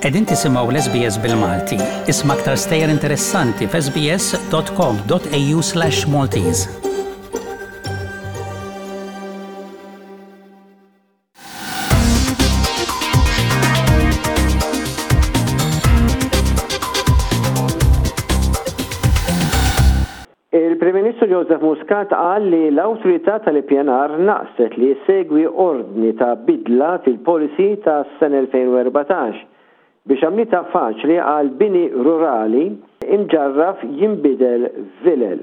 Qegħdin tisimgħu l-SBS bil-Malti. Isma' aktar stejjer interessanti f'sbs.com.au/maltese. Il-Prim Ministru Joseph Muscat qal li l-Awtorità tal-Ippjanar naqset li ssegwi ordni ta' bidla fil-policy tas-sena 2014 biex għamlitha faċli għal bini rurali imġarraf jinbidel f'vilel.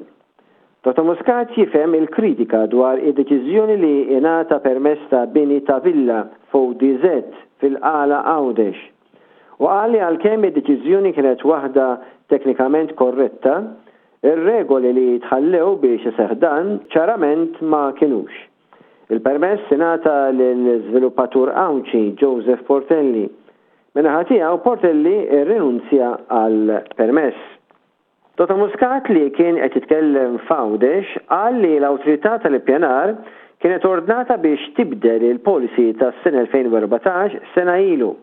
Dottor Muscat jifhem il-kritika dwar id-deċiżjoni li ingħata permess ta' bini ta' villa f'ODZ fil-Qala Għawdex u qal li għalkemm id-deċiżjoni kienet waħda teknikament korretta, ir-regoli li tħallew biex iseħħ dan ċarament ma kinux. Il-permess ingħata lill-żviluppatur Għawdxi Joseph Portelli. Min-naħa tiegħu Portelli rrinunzja għall-permess. Toto Muscat li kien qed jitkellem f'Għawdex qal li l-Awtorità tal-Ippjanar kienet ordnata biex tibdel il-policy tas-sena 2014 sena ilu.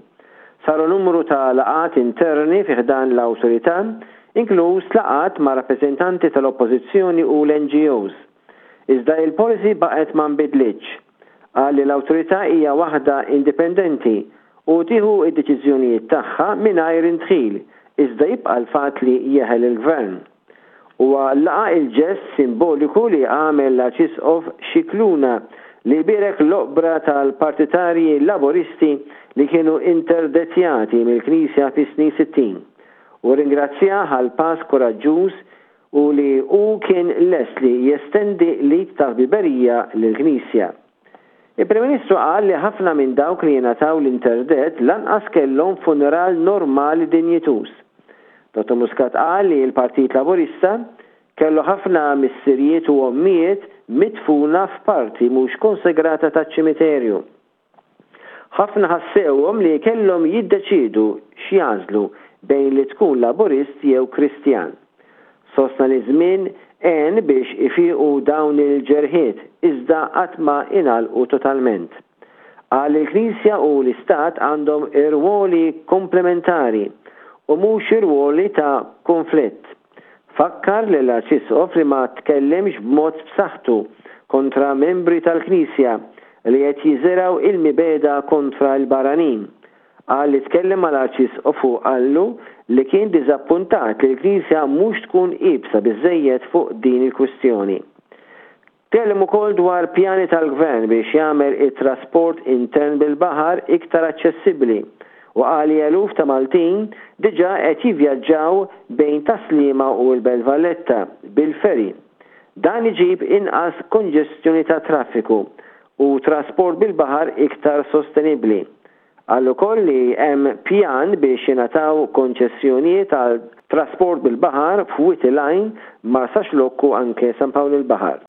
Saru numru ta' laqgħat interni fi ħdan l-Awtorità, inkluż laqgħat ma' rappreżentanti tal-Oppożizzjoni u l-NGOs. Iżda il-policy baqgħet ma nbidlitx. Qal li l-Awtorità hija waħda indipendenti u tieħu d-deċiżjonijiet tagħha mingħajr indħil, iżda jibqa' l-fatt li jeħel il-Gvern. Huwa laqa' il-ġest simboliku li għamel l-Arċisqof Scicluna li bierek l-oqbra tal-partitarji Laburisti li kienu interdettjati mill-Knisja fis-snin 60 u rringrazzjah għall-pass kuraġġuż u li hu kien lest li jestendi l-id tal-ħbiberija lill-Knisja. Il-Prim Ministru qal li ħafna minn dawk li jingħataw l-interdett lanqas kellhom funeral normali dinjituż. Dottor Muscat qal li l-Partit Laburista kellu ħafna missirijiet u ommijiet midfuna f'parti mhux konsegrata taċ-ċimiterju. Ħafna ħassewhom li kellhom jiddeċiedu x'jagħżlu bejn li tkun Laburist jew Kristjan. Sostna li ż-żmien għen biex ifiequ dawn il-ġerħiet iżda qatt ma ingħalqu totalment. Qal li l-Knisja u l-Istat għandhom irwoli komplementari u mhux irwoli ta' kunflitt. Fakkar lill-Arċisqof li ma tkellimx b'mod b'saħħtu kontra membri tal-Knisja li qed jiżirgħu il-mibegħda kontra l-barranin. Qal li tkellem mal-Arċisqof u qallu li kien diżappuntat li l-Knisja mhux tkun iebsa biżżejjed fuq din il-kwistjoni. Tkellem ukoll dwar pjani tal-Gvern biex jagħmel it-trasport intern bil-baħar iktar aċċessibbli u qal li eluf ta' Maltin diġà qed jivvjaġġaw bejn Tas-Sliema u l-Belt Valletta bil-ferry. Dan iġib inqas konġestjoni tat-traffiku u trasport bil-baħar iktar sostenibbli. Qal ukoll li hemm pjan biex jingħataw konċessjonijiet għal trasport bil-baħar f'Wied il-Għajn, Marsaxlokk u anke San Pawl il-Baħar.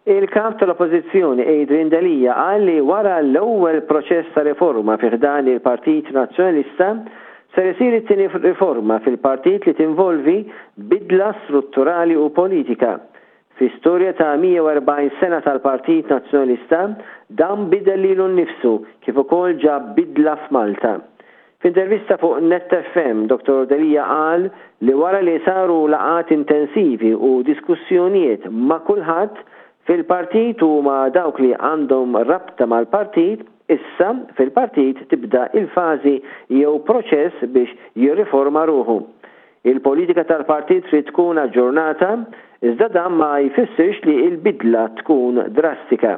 Il-Kap tal-Oppożizzjoni Adrian Delia qal li wara l-ewwel proċess ta' riforma fi ħdan il-Partit Nazzjonalista Ser isir it-tieni riforma fil-partit li tinvolvi bidla strutturali u politika. Fi storja ta' 140 sena tal-Partit Nazzjonalista, dan bidel lilu nnifsu kif ukoll ġab bidla f'Malta. F'intervista fuq Net FM, Dottor Delia qal li wara li saru laqgħat intensivi u diskussjonijiet ma' kulħadd fil-partit u ma' dawk li għandhom rabta mal-partit, Issa, fil-partit tibda il-fażi jew proċess biex jirriforma ruħu. Il-politika tal-partit trid tkun aġġornata, iżda dan ma jfissirx li l-bidla tkun drastika.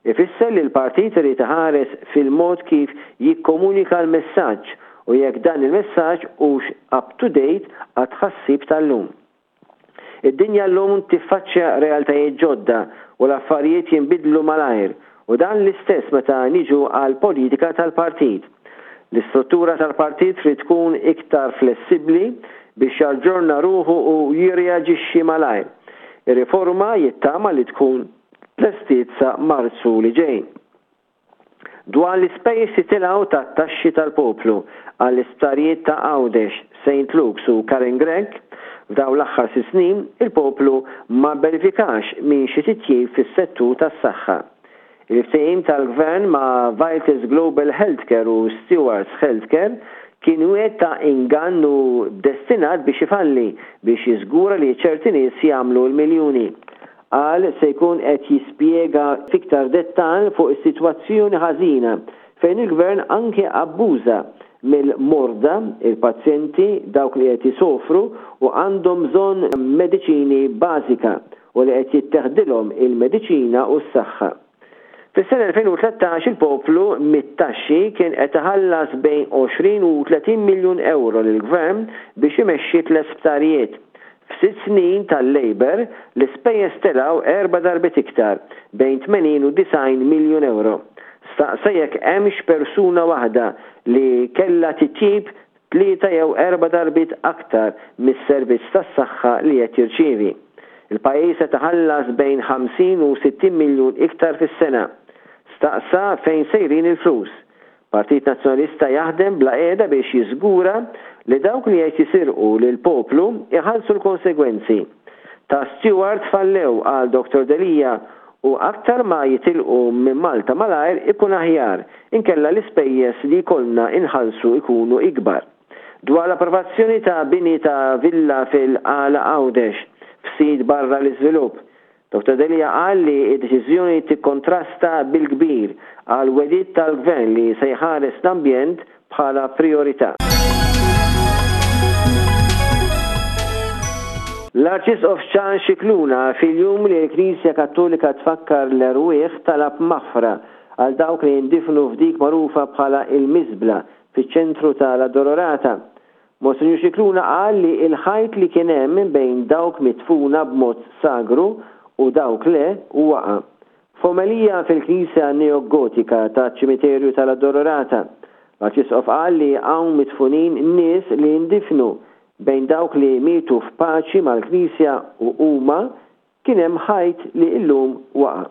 Ifisser li l-partit irid iħares fil-mod kif jikkomunika l-messaġġ u jekk dan il-messaġġ hux up to date għat-tħassib tal-lum. Id-dinja llum tiffaċċja realtajiet ġodda u l-affarijiet jinbidlu malajr u dan l-istess meta niġu għall-politika tal-partit. L-istruttura tal-partit trid tkun iktar flessibbli biex jaġġorna ruħu u jirreaġixxi malajr. Ir-riforma jittama li tkun tlestiet sa Marzu li ġej. Dwar l-ispejjeż li tilgħu tat-taxxi tal-poplu għall-isptarijiet ta' Għawdex, Saint Luke's u Karen Grech, F'dawn l-aħħar sitt snin, il-poplu ma bbenefikax minn xi titjib fis-settur tas-saħħa. Il-ftehim tal-Gvern ma' Vitals Global Healthcare u Stewards Healthcare kien wieħed ta' ingann u destinat biex ifalli biex jiżgura li ċerti nies jagħmlu l-miljuni. Qal se jkun qed jispjega f'iktar dettall fuq is-sitwazzjoni ħażina fejn il-Gvern anke abbuża mill-morda, il-pazjenti, dawk li qed isofru u għandhom bżonn mediċini bażika u li qed jitteħdilhom il-mediċina u s-saħħa. Fis-sena 2013 il-poplu mit-taxxi kien qed iħallas bejn 20 u 30 miljun ewro lill-Gvern biex imexxi tliet sptarijiet. F'sitt snin tal-Labour l-ispejjeż telgħu erba' darbiet iktar, bejn 80 u 90 miljun ewro. Staqsa jekk hemmx persuna waħda li kellha titjib tlieta jew erba' darbiet aktar mis-servizz tas-saħħa li qed jirċievi. Il-pajjiż qed iħallas bejn 50 u 60 miljun iktar fis-sena. Staqsa fejn sejrin il-flus. Partit Nazzjonalista jaħdem bla qiegħda biex jiżgura li dawk li qed jisirqu lill-poplu jħallsu l-konsegwenzi. Ta' Steward fallew, qal Dottor Delia, u aktar ma jitilqu minn Malta malajr ikun aħjar, inkella l-ispejjeż li jkollna inħallsu jkunu ikbar. Dwar l-approvazzjoni ta' bini ta' villa fil-Qala Għawdex, f'sit barra l-iżvilupp, Dottor Delia qal li d-deċiżjoni tikkontrasta bil-kbir għall-wegħdiet tal-Gvern li se jħares l-ambjent bħala prijorità. L-Arċisqof Charles Scicluna fil-jum li l-Knisja Kattolika tfakkar l-erwieħ talab maħfra għal dawk li jindifnu f'dik magħrufa bħala il-Miżbla fiċ-ċentru ta' l-Addolorata. Monsinjur Scicluna qal li l-ħajt li kien hemm bejn dawk midfuna b'mod sagru u dawk le waqa'. F'omelija fil-knisja neo-Gotika taċ-ċimiterju tal-Addolorata, l-Arċisqof qal li hawn midfunin nies li ndifnu bejn dawk li mietu f'paċi mal-Knisja u huma kien hemm ħajt li llum waqa'.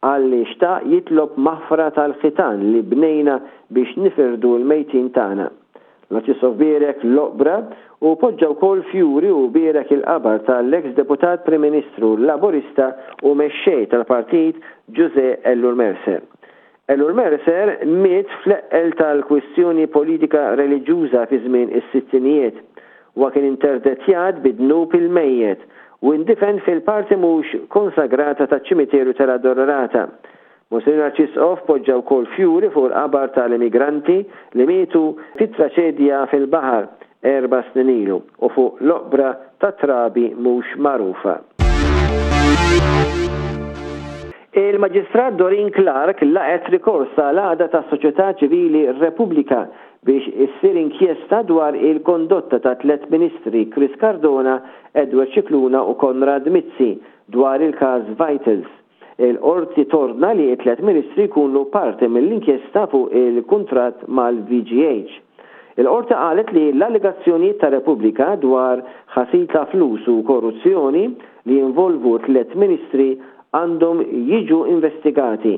Qal li xtaq jitlob maħfra tal-ħitan li bnejna biex nifirdu l-mejtin tagħna. L-Arċisqof bierek l-oqbra u poġġa wkoll fjuri u bierek il-qabar tal-eks Deputat Prim Ministru Laburista u Mexxej tal-Partit Ġużè Ellul Mercer. Ellul Mercer miet fl-eqqel tal-kwistjoni politika reliġjuża fi żmien is-sittinijiet. Huwa kien interdettjat bi dnub il-mejjet u indifen fil-parti mhux konsagrata taċ-ċimiterju tal-Addolorata. Monsinjur Arċisqof poġġa wkoll fjuri fuq il-qabar tal-immigranti li mietu fit-traċedja fil-baħar erba' snin ilu u fuq l-oqbra ta' trabi mhux magħrufa. Il-Maġistrat Doreen Clarke laqgħet rikors tal-għaqda tas-soċjetà ċivili Repubblika biex issir inkjesta dwar il-kondotta ta' tlett Ministri Chris Cardona, Edward Scicluna u Konrad Mizzi dwar il-każ Vitals. Il-Qorti tordna li t-tlett Ministri jkunu parti mill-inkjesta fuq il-kuntratt mal-VGH. Il-Qorti qalet li l-allegazzjonijiet ta' Repubblika dwar ħasil ta' flus u korruzzjoni li jinvolvu tlett Ministri għandhom jiġu investigati.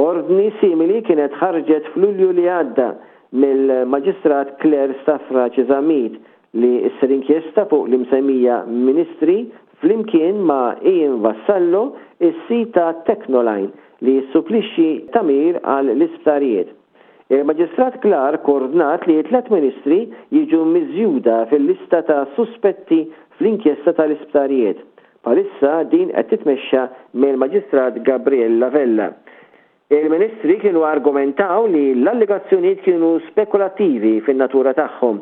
Ordni simili kienet ħarġet f'Lulju li għadda mill-Maġistrat Claire Stafrace Zammit li ssir inkjesta fuq l-imsemmija Ministri flimkien ma' Ian Vassallo, is-sid ta' Technoline li jissupplixxi tagħmir għal l-isptarijiet. Il-Maġistrat Clarke ordnat li t-tlett Ministri jiġu miżjuda fil-lista ta' suspetti fl-inkjesta tal-isptarijiet. Bħalissa din qed titmexxa mill-Maġistrat Gabriella Vella. Il-Ministri kienu argumentaw li l-allegazzjonijiet kienu spekulattivi fin-natura tagħhom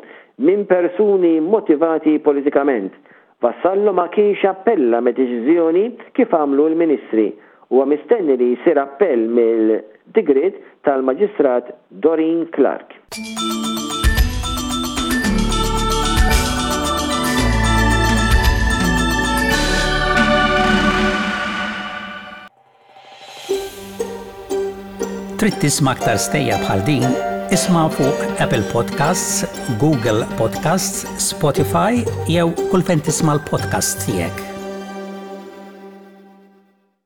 minn persuni motivati politikament. Vassallo ma kienx appella mid-deċiżjoni kif għamlu l-Ministri. Huwa mistenni li jsir appell mill-digriet tal-Maġistrat Doreen Clarke. Trid tisma' aktar stejjer bħal din? Isma' fuq Apple Podcasts, Google Podcasts, Spotify jew kull fejn tisma' l-podcasts tiegħek.